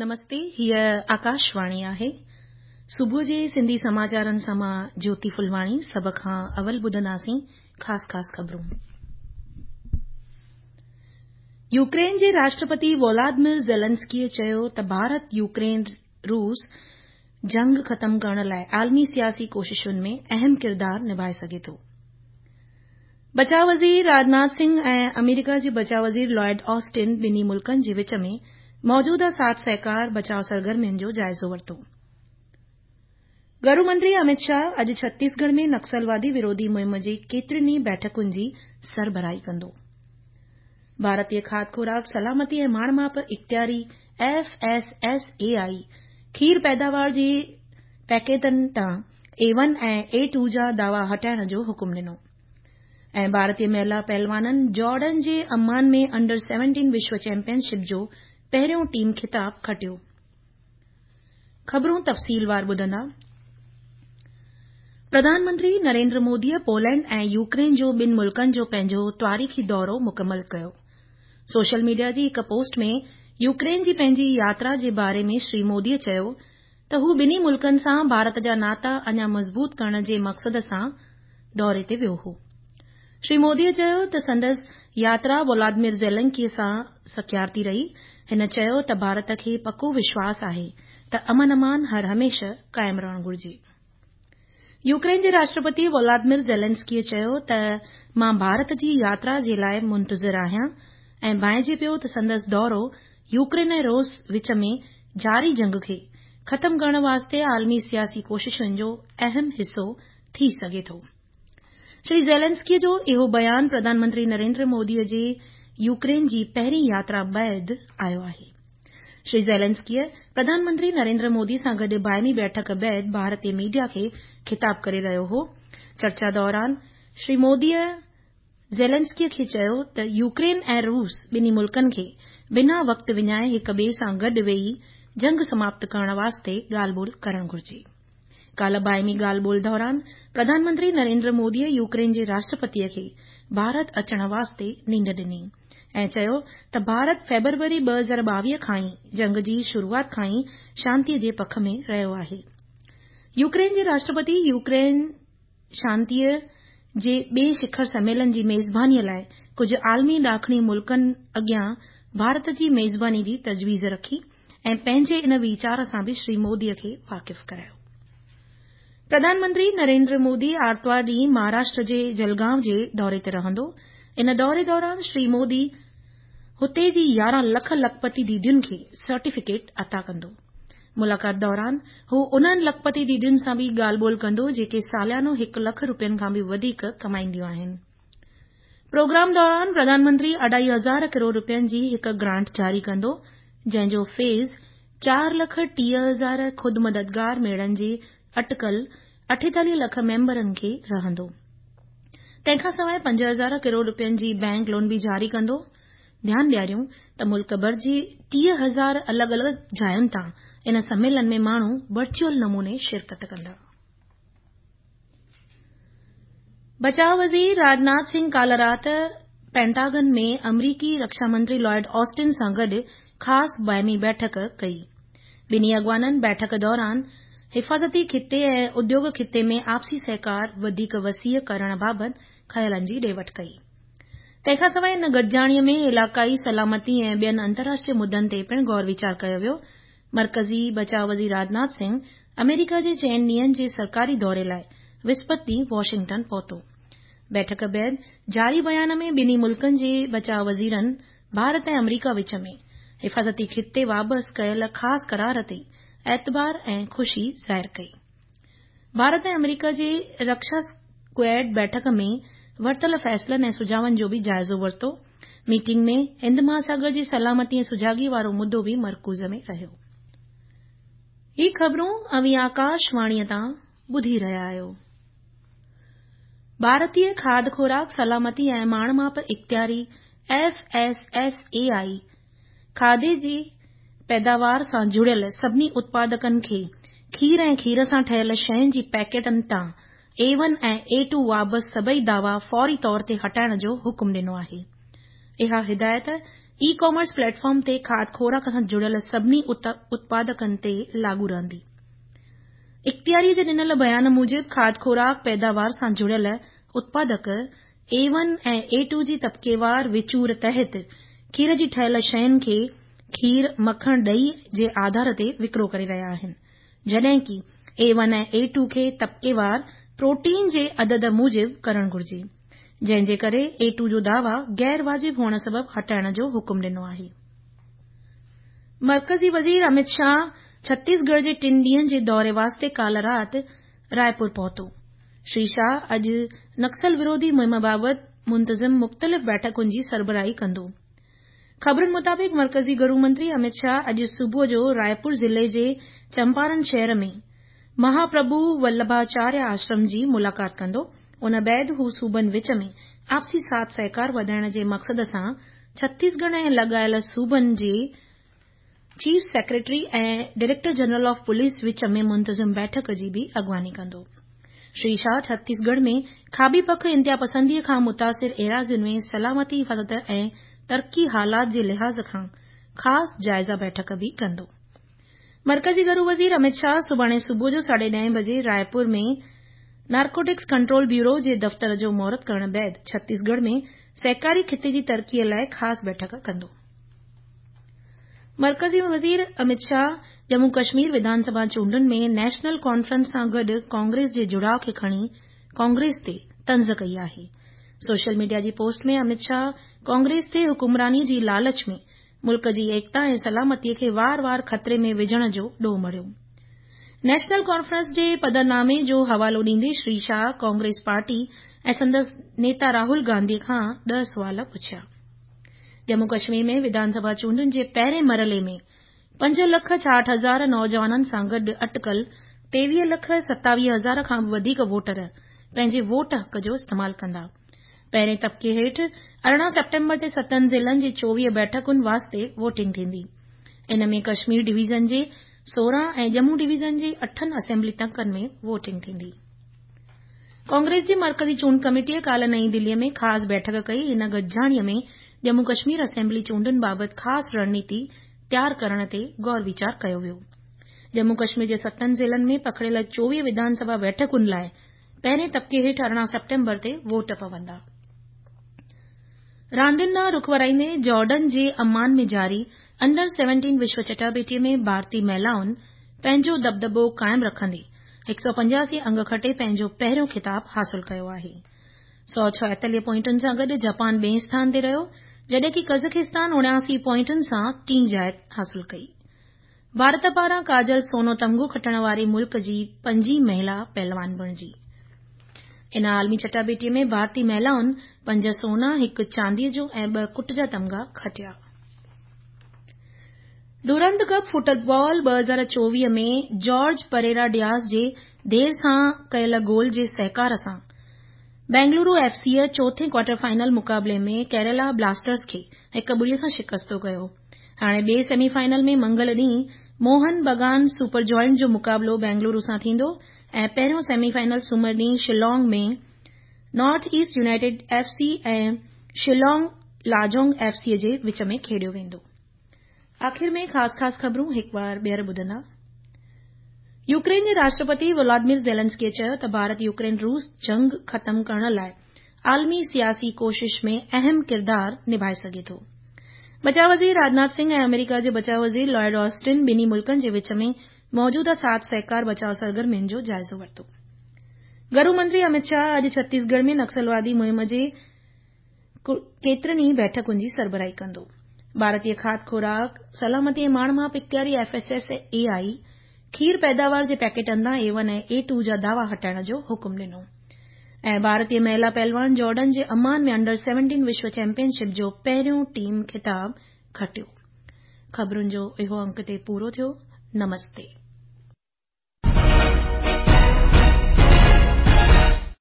نمستي هيء آڪاشواڻي آهي. صبح جي سنڌي سماچارن سان مان جيوتي ڦلواڻي سڀ کان اول ٻڌنداسين خاص خاص خبرون. يوڪرين جي راشٽرپتي وولادمير زيلنسڪيء چيو ته ڀارت يوڪرين روس جنگ ختم ڪرڻ لاء عالمي سياسي ڪوششن ۾ اهم ڪردار نڀائي سگهي ٿو. بچاء وزير راجناٿ سنگهه ۽ آمريڪا جي بچاء وزير لائيڊ آسٽن ٻنهي ملڪن جي وچ ۾ موجوده ساٿ سهڪار بچاء سرگرمين جو جائزو ورتو. گهرو منتري امت شاهه اڄ ڇتيسڳڙهه ۾ نڪسلوادي وروڌي مهم جي ڪيترين ئي بيٺڪن جي سربراهي ڪندو. ڀارتي کاڌ خوراڪ سلامتي ۽ ماڻ ماپ اختياري F S S A I کير پيداوار جي پيڪيٽن تان اي ون ۽ اي ٽو جا دعوا هٽائڻ جو حڪم ڏنو ۽ ڀارتي مهلا پهلوانن جارڊن جي عمان ۾ انڊر سيونٽين وشو چيمپيئن شپ جو پهريون ٽيم خطاب کٽيو. خبرون تفصيلوار ٻڌندا. پرڌان منتري نريندر موديء پولينڊ ۽ يوڪرين جو ٻن ملڪن جو پنهنجو تواريخي دورو مڪمل ڪيو. سوشل ميڊيا جي هڪ پوسٽ ۾ يوڪرين جي پنهنجي ياترا جي باري ۾ شري موديء چيو ته هو ٻنهي ملڪن سان ڀارت جا ناتا اڃا مضبوط ڪرڻ جي مقصد سان دوري تي ويو هو. شري موديء چيو ته سندس ياترا ولادمير زيلنڪي سان ساکيارتي رهي. هن چيو ته ڀارت کي پڪو وشواس آهي ته امن امان هر هميشه قائم رهڻ گهرجي. يوڪرين جي راشٽرپتي ولادمير زيلنسڪيء چيو ته مان ڀارت جي ياترا جي لاء منتظر آهيان ۽ ڀانئجي پيو ته سندس دورو يوڪرين ۽ روس وچ ۾ جاري جنگ کي ختم ڪرڻ واسطي عالمي سياسي ڪوششن جو اهم حصو ٿي سگهي ٿو. شري زيلنسڪيء جو اهو بيان پرڌان منتري نريندر موديء جي يوڪرين جي پهرين ياترا بعد آيو آهي. شري زيلنسڪيء پرڌان منتري نريندر مودي سان گڏ باهمي بيٺڪ بعد ڀارتي ميڊيا کي خطاب ڪري رهيو هو. چرچا دوران شري موديء زيلنسڪيء کي چيو ته يوڪرين ۽ روس ٻنهي ملڪن کي بنا وقت وڃائي هڪ ٻئي سان گڏ ويهي جنگ سماپت ڪرڻ واسطي ڳالهه ٻولهه ڪرڻ گهرجي. ڪالهه باهمي ڳالهه ٻولهه دوران پرڌان منتري نريندر موديء يوڪرين جي راشٽرپتيء کي ڀارت اچڻ واسطي نينڍ ڏني ۽ چيو ته ڀارت فيبروري 2022 کان ئي جنگ جي شروعات کان ئي شانتيء جي پک ۾ رهيو آهي. يوڪرين جي راشٽرپتي يوڪرين شانتيء جي ٻئي شکر سميلن جي ميزبانيء لاء ڪجهه عالمي ڏاکڻي ملڪن اڳيان ڀارت جي ميزباني جي تجويز رکي ۽ پنهنجي ان ويچار سان به شري موديء کي واقف ڪرايو. پرڌان منتري نريندر مودي آرتوار ڏينهن مهاراشٽر جي جلگائون جي دوري تي رهندو. ان دوري دوران شري مودي هتي جي 11 لک لکپتي ديدين کي سرٽيفڪيٽ عطا ڪندو. ملاقات دوران هو انهن لکپتي ديدين سان به ڳالهه ٻولهه ڪندو جيڪي ساليانو هڪ لک روپين کان به وڌيڪ ڪمائينديون آهن. پروگرام دوران پرڌان منتري اڍائي هزار ڪروڙ روپين جي هڪ گرانٽ جاري ڪندو جنهن جو فيض 4,30,000 خود مددگار ميڙن جي اٽڪل 48 لک ميمبرن کي رهندو. تنهن کان سواء 5 هزار ڪروڙ روپين جي بئنڪ لون به جاري ڪندو. ڌيان ڏياريون ته ملڪ ڀر جي 30 هزار الڳ الڳ جاين تان ان سميلن ۾ ماڻهو ورچوئل نموني شرڪت ڪندا. بچاء وزير راجناٿ سنگهه ڪالهه رات پينٽاگن ۾ آمريڪي رڪشا منتري لائيڊ آسٽن سان گڏ خاص باهمي بيٺڪ ڪئي. ٻنهي اڳواڻن بيٺڪ دوران حفاظتي خطي ۽ اديوگ خطي ۾ آپسي سهڪار وڌيڪ وسيع ڪرڻ بابت خيالن جي ڏي وٺ ڪئي. تنهن کان سواء ان گڏجاڻيء ۾ علائقائي سلامتي ۽ ٻين انترراشٽريه مدن تي پڻ غور ويچار ڪيو ويو. مرڪزي بچاء وزير راجناٿ سنگهه آمريڪا جي چئن ڏينهن جي سرڪاري دوري لاء وسپت ڏينهن واشنگٽن پهتو. بيٺڪ بعد جاري بيان ۾ ٻنهي ملڪن جي بچاء وزيرن ڀارت ۽ آمريڪا وچ ۾ حفاظتي خطي وابست ڪيل خاص قرار تي اعتبار ۽ خوشي ظاهر ڪئي. ڀارت ۽ آمريڪا جي رڪشا ڪواڊ بيٺڪ ۾ ورتل فيصلن ۽ سجهاون جو به جائزو ورتو. ميٽنگ ۾ هند مهاساگر جي سلامتي ۽ سجاڳي وارو مدو به مرڪوز ۾ رهيو. هي خبرون اوهين آڪاشواڻيء تان ٻڌي رهيا آهيو. ڀارتي کاڌ خوراڪ سلامتي ۽ ماڻ ماپ اختياري F S S A I کاڌي جي پيداوار سان جڙيل سڀني اتپادڪن کي کير ۽ کير سان ٺهيل شين جي پيڪيٽن تان اي ون ۽ اي ٽو وابست سڀئي دعوا فوري طور تي هٽائڻ جو حڪم ڏنو آهي. اها هدايت اي ڪامرس پليٽ فارم تي کاڌ خوراڪ سان جڙيل سڀني اتپادڪن تي لاڳو رهندي. اختياري جي ڏنل بيان موجب کاڌ خوراڪ پيداوار سان جڙيل اتپادڪ اي ون ۽ اي ٽو جي طبقيوار وچور تحت کير جي ٺهيل شين کي کير، مکڻ، ڏهي جي آڌار تي وڪرو ڪري رهيا آهن، جڏهن ڪي اي ون ۽ اي ٽو کي طبقيوار پروٽين جي عدد موجب ڪرڻ گهرجي، جنهن جي ڪري اي ٽو جو دعويٰ غير واجب هئڻ سبب هٽائڻ جو حڪم ڏنو آهي. مرڪزي وزير امت شاهه ڇتيسڳڙهه جي ٽن ڏينهن جي دوري واسطي ڪالهه رات رائپور پهتو. شري شاهه اڄ نڪسل وروڌي مهم بابت منتظم مختلف بيٺڪن جي سربراهي ڪندو. خبرن مطابق مرڪزي گهرو منتري امت شاهه اڄ صبح جو رائپور ضلعي جي چمپارن شهر ۾ مهاپرڀو ولڀاچاريه آشرم جي ملاقات ڪندو. ان بعد هو صوبن وچ ۾ آپسي ساٿ سهڪار وڌائڻ جي مقصد سان ڇتيسڳڙهه ۽ لاڳايل صوبن جي chief secretary ۽ director general of police وچ ۾ منتظم بيٺڪ جي به اڳواڻي ڪندو. شري شاهه ڇتيسڳڙهه ۾ کاٻي پک انتهاپسندي کان متاثر ايراضين ۾ سلامتي حفاظت ۽ ترقي حالات جي لحاظ کان خاص جائزه بيٺڪ به ڪندو. مرڪزي گهرو وزير امت شاهه سڀاڻي صبح جو ساڍي ڏهين بجي رائپور ۾ نارڪوٽڪس ڪنٽرول بيورو جي دفتر جو مهورت ڪرڻ بعد ڇتيسڳڙهه ۾ سهڪاري خطي جي ترقي لاء خاص بيٺڪ ڪندو. مرڪزي وزير امت شاهه ڄمون ڪشمير وڌان سڀا چونڊن ۾ نيشنل ڪانفرنس سان گڏ ڪانگريس جي جڙاء کي کڻي ڪانگريس تي طنز ڪئي آهي. سوشل ميڊيا جي پوسٽ ۾ امت شاهه ڪانگريس تي حڪمراني جي لالچ ۾ ملڪ جي ايڪتا ۽ سلامتي کي وار وار خطري ۾ وجهڻ جو ڏوهه مڙهيو. نيشنل ڪانفرنس جي پڌرنامي جو حوالو ڏيندي شري شاهه ڪانگريس پارٽي ۽ سندس نيتا راهول گانڌي کان ڏهه سوال پڇيا. ڄمون ڪشمير ۾ وڌان سڀا چونڊن جي پهرين مرحلي ۾ 5 لک 66 هزار نوجوانن سان گڏ اٽڪل 23 لک 27 هزار کان به وڌيڪ ووٽر پنهنجي ووٽ حق جو استعمال ڪندا. پهرين طبقي هيٺ 18 سيپٽمبر تي ستن ضلعن جي 24 بيٺڪن واسطي ووٽنگ ٿيندي. ان ۾ ڪشمير ڊويزن جي 16 ۽ ڄمون ڊويزن جي اٺن اسيمبلي تڪن ۾ ووٽنگ ٿيندي. ڪانگريس جي مرڪزي چونڊ ڪميٽيء ڪالهه نئين دليء ۾ خاص بيٺڪ ڪئي. هن گڏجاڻيء ۾ ڄمون ڪشمير اسيمبلي چونڊن بابت خاص رڻنيتي تيار ڪرڻ تي غور ويچار ڪيو ويو. ڄمون ڪشمير جي ستن ضلعن ۾ پکڙيل 24 وڌان سڀا بيٺڪن لاء پهرين طبقي هيٺ 18 سيپٽمبر تي ووٽ پوندا. راندين ڏانهن رخ ورائيندي جارڊن جي عمان ۾ جاري انڊر 17 وشو چٽاڀيٽي ۾ ڀارتي مهلائن پنهنجو دٻدٻو قائم رکندي 185 انگ کٽي پنهنجو پهريون خطاب حاصل ڪيو آهي. 146 پوائنٽن سان گڏ جاپان ٻئين اسٿان تي رهيو جڏهن ڪي قزاقستان 79 پوائنٽن سان ٽين جاء حاصل ڪئي. ڀارت پاران ڪاجل سونو تمغو کٽڻ واري ملڪ جي پنجين مهلا پهلوان بڻجي. ان عالمي چٽاڀيٽي ۾ ڀارتي مهلائن پنج سونا، هڪ چاندي جو ۽ ٻه ڪٽ جا تمغا کٽيا. دورند ڪپ فٽبال 2024 ۾ جارج پريرا ڊياز جي دير سان ڪيل گول جي سهڪار سان بينگلورو ايف سيء چوٿين ڪوارٽر فائنل مقابلي ۾ ڪيرالا بلاسٽرز کي هڪ ٻڙي سان شڪست ڪيو. هاڻي ٻئي سيمي فائنل ۾ منگل ڏينهن موهن بگان سپر جوائنٽ جو مقابلو بينگلورو سان ٿيندو ۽ پهريون سيمي فائنل سومر ڏينهن Shillong ۾ North East United F C ۽ Shillong Lajong F C جي وچ ۾ کيڏيو ويندو. آخر ۾ خاص خاص خبرون هڪ بار ٻيهر ٻڌندا. يوڪرين جي راشٽرپتي ولاديمير زيلنسڪي چيو ته ڀارت يوڪرين روس جنگ ختم ڪرڻ لاء عالمي سياسي ڪوشش ۾ اهم ڪردار نڀائي سگهي ٿو. بچاء وزير راجناٿ سنگهه ۽ آمريڪا جي بچاء وزير لائيڊ آسٽن ٻنهي ملڪن جي وچ ۾ موجوده ساٿ سهڪار بچاء سرگرمين جو جائزو ورتو. گهرو منتري امت شاهه اڄ ڇتيسڳڙهه ۾ نڪسلوادي مهم جي ڪيترين ئي بيٺڪن جي سربراهي ڪندو. ڀارتي کاڌ خوراڪ، سلامتي ۽ ماڻ ماپ اختياري F S S A I کير پيداوار جي پيڪيٽن تان اي ون ۽ اي ٽو جا دعوا هٽائڻ جو حڪم ڏنو ۽ ڀارتي مهلا پهلوان جارڊن جي عمان ۾ انڊر 17 وشو چيمپيئن شپ جو پهريون ٽيم خطاب کٽيو. خبرن جو اهو انڪ هتي پورو ٿيو. نمستي.